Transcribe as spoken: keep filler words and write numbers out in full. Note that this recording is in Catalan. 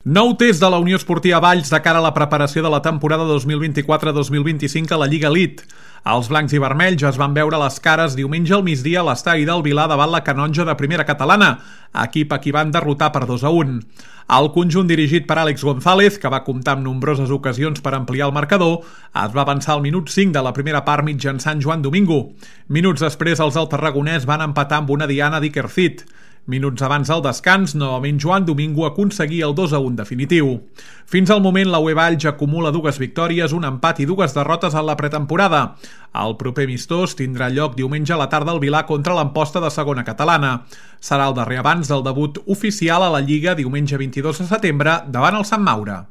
Nou test de la Unió Esportiva Valls de cara a la preparació de la temporada dos mil vint-i-quatre dos mil vint-i-cinc a la Lliga Elite. Els blancs i vermells es van veure les cares diumenge al migdia a l'estadi del Vilar davant la Canonja de primera catalana, equip a qui van derrotar per dos a un. El conjunt dirigit per Àlex González, que va comptar amb nombroses ocasions per ampliar el marcador, es va avançar al minut cinc de la primera part mitjançant Joan Domingo. Minuts després, els altarragonès van empatar amb una diana d'Ikercit. Minuts abans del descans, novament Joan Domingo aconseguia el dos a un definitiu. Fins al moment, la U E Valls acumula dues victòries, un empat i dues derrotes en la pretemporada. El proper amistós tindrà lloc diumenge a la tarda al Vilar contra l'Amposta de segona catalana. Serà el darrer abans del debut oficial a la Lliga diumenge vint-i-dos de setembre davant el Sant Maure.